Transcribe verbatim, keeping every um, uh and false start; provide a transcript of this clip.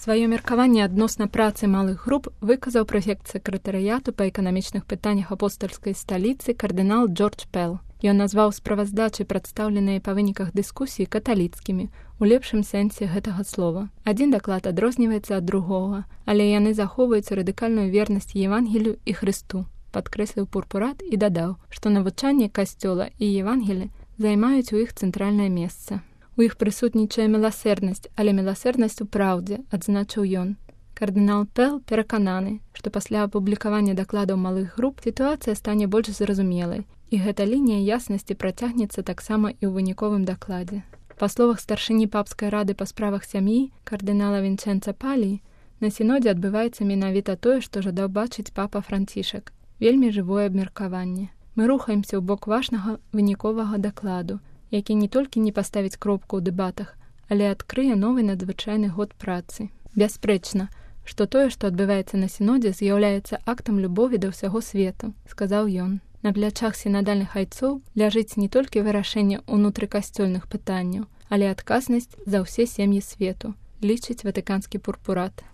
Сваё меркаванне адносна працы малых груп выказаў прэфект сакратарыяту па эканамічных пытаннях апостальскай сталіцы кардынал Джордж Пэл. Ён назваў справаздачы, прадстаўленыя па выніках дыскусіі, каталіцкімі, у лепшым сэнсе гэтага слова. Адзін даклад адрозніваецца ад другога, але яны захоўваюць радыкальную вернасць Евангелію і Хрысту, падкрэсліў Пурпурат і дадаў, што навучанне Касцёла і Евангелі займаюць у іх цэнтральнае месца. У іх прысутнічае міласэрнасць, але міласэрнасць у праўдзе, адзначыў ён. Кардынал Пэл перакананы, што пасля апублікавання дакладаў малых груп сітуацыя стане больш зразумелай, і гэта лінія яснасці працягнецца таксама і ў выніковым дакладзе. Па словах старшыні папскай рады па справах сям'і кардынала Вінчэнца Паліі, на сінодзе адбываецца менавіта тое, што жадаў бачыць папа Францішак. Вельмі жывое абмеркаванне. Мы рухаемся ў бок важнага выніковага дакладу, які не толькі не паставіць кропку ў дэбатах, але адкрые новы надзвычайны год працы. Бясспрэчна, што тое, што адбываецца на сінодзе, з'яўляецца актам любові да ўсяго свету, сказаў ён. На плячах сінадальных айцоў ляжыць не толькі вырашэнне ўнутрыкасцёльных пытанняў, але адказнасць за ўсе сем'і свету, лічыць ватыканскі Пурпурат.